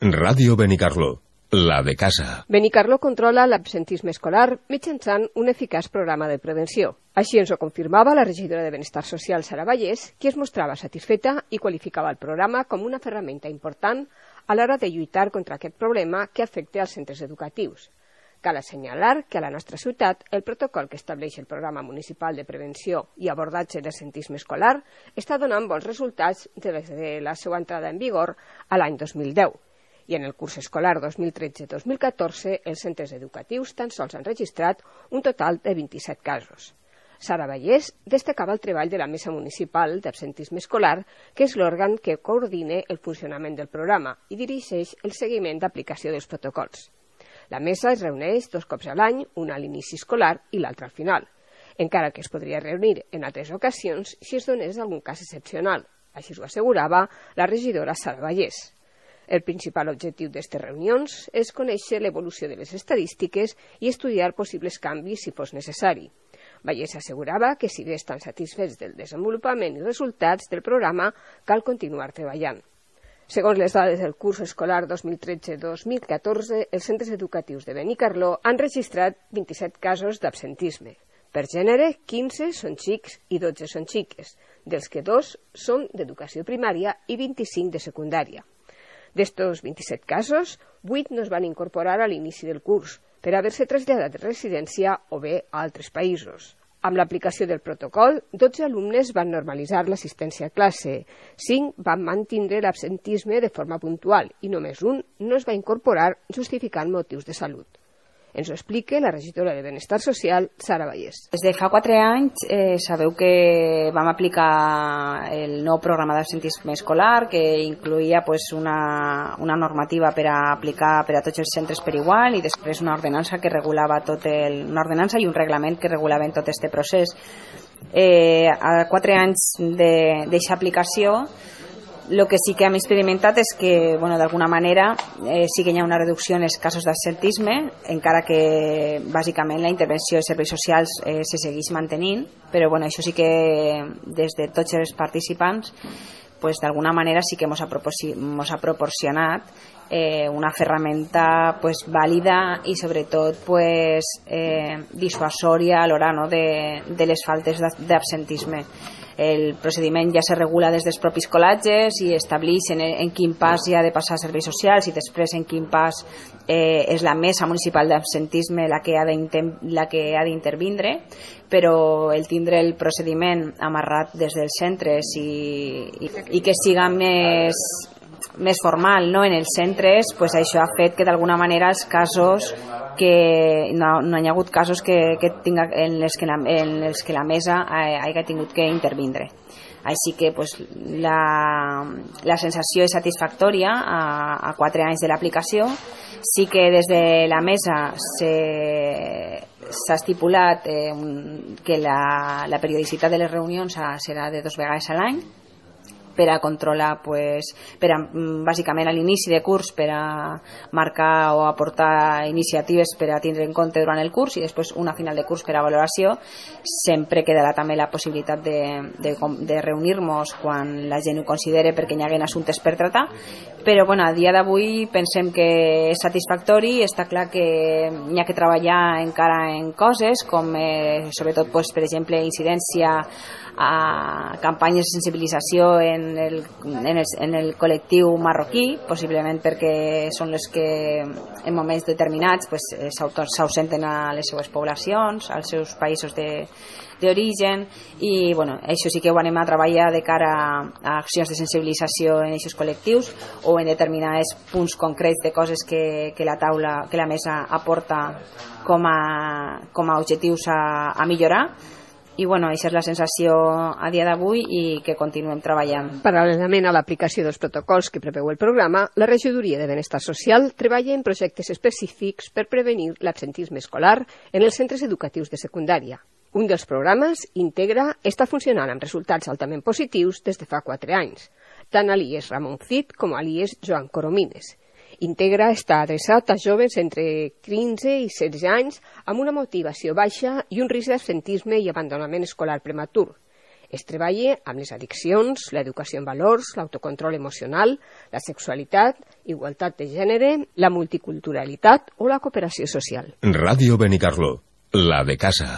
Ràdio Benicarló, la de casa. Benicarló controla l'absentisme escolar mitjançant un eficaç programa de prevenció. Així ens ho confirmava la regidora de Benestar Social, Sara Vallès, qui es mostrava satisfeta i qualificava el programa com una ferramenta important a l'hora de lluitar contra aquest problema que afecta als centres educatius. Cal assenyalar que a la nostra ciutat el protocol que estableix el Programa Municipal de Prevenció i Abordatge d'Absentisme Escolar està donant bons resultats des de la seva entrada en vigor a l'any 2010. I en el curs escolar 2013-2014 els centres educatius tan sols han registrat un total de 27 casos. Sara Vallès destacava el treball de la Mesa Municipal d'Absentisme Escolar, que és l'òrgan que coordina el funcionament del programa i dirigeix el seguiment d'aplicació dels protocols. La mesa es reuneix 2 cops a l'any, una a l'inici escolar i l'altra al final, encara que es podria reunir en altres ocasions si es donés algun cas excepcional. Així ho assegurava la regidora Sara Vallès. El principal objectiu d'aquestes reunions és conèixer l'evolució de les estadístiques i estudiar possibles canvis si fos necessari. Vallès assegurava que si bé estan satisfets del desenvolupament i resultats del programa, cal continuar treballant. Segons les dades del curs escolar 2013-2014, els centres educatius de Benicarló han registrat 27 casos d'absentisme. Per gènere, 15 són xics i 12 són xiques, dels que 2 són d'educació primària i 25 de secundària. D'estos 27 casos, 8 no es van incorporar a l'inici del curs per haver-se traslladat de residència o bé a altres països. Amb l'aplicació del protocol, 12 alumnes van normalitzar l'assistència a classe, 5 van mantindre l'absentisme de forma puntual i només un no es va incorporar justificant motius de salut. Ens ho explica la regidora de Benestar Social, Sara Vallès. Des de fa 4 anys sabeu que vam aplicar el nou programa d'absentisme escolar que incloïa una normativa per a aplicar per a tots els centres per igual i després una ordenança que regulava una ordenança i un reglament que regulaven tot aquest procés. A 4 anys d'aquesta aplicació, el que sí que hem experimentat és que, d'alguna manera, sí que hi ha una reducció en els casos d'absentisme, encara que, bàsicament, la intervenció de serveis socials se segueix mantenint, però això sí que, des de tots els participants, d'alguna manera sí que ens ha proporcionat una ferramenta vàlida i, sobretot, dissuasòria a l'hora de les faltes d'absentisme. El procediment ja se regula des dels propis col·legis i estableix en quin pas hi ha de passar serveis socials i després en quin pas és la Mesa Municipal d'Absentisme la que ha d'intervindre, però el tindre el procediment amarrat des dels centres i que siga més formal en els centres, això ha fet que d'alguna manera els casos que no hi ha hagut casos en els que la mesa hagi tingut que intervindre. Així que la sensació és satisfactòria a 4 anys de l'aplicació. Sí que des de la mesa s'ha estipulat que la periodicitat de les reunions serà de 2 vegades a l'any, per a controlar, bàsicament a l'inici de curs, per a marcar o aportar iniciatives per a tindre en compte durant el curs i després una final de curs per a valoració. Sempre quedarà també la possibilitat de reunir-nos quan la gent ho considere perquè hi hagi assumptes per tratar, però a dia d'avui pensem que és satisfactori. Està clar que hi ha que treballar encara en coses com sobretot, per exemple, incidència a campanyes de sensibilització en el col·lectiu marroquí, possiblement perquè són les que en moments determinats s'ausenten a les seues poblacions, als seus països d'origen, i això sí que ho anem a treballar de cara a accions de sensibilització en aquests col·lectius o en determinats punts concrets de coses que la mesa aporta com a objectius a millorar. I aquesta és la sensació a dia d'avui i que continuem treballant. Paral·lelament a l'aplicació dels protocols que preveu el programa, la Regidoria de Benestar Social treballa en projectes específics per prevenir l'absentisme escolar en els centres educatius de secundària. Un dels programes, Integra, està funcionant amb resultats altament positius des de fa 4 anys, tant a l'IES Ramon Cid com a l'IES Joan Coromines. Integra està adreçat a joves entre 15 i 16 anys amb una motivació baixa i un risc d'absentisme i abandonament escolar prematur. Es treballa amb les addiccions, l'educació en valors, l'autocontrol emocional, la sexualitat, igualtat de gènere, la multiculturalitat o la cooperació social. Ràdio Benicarló, la de casa.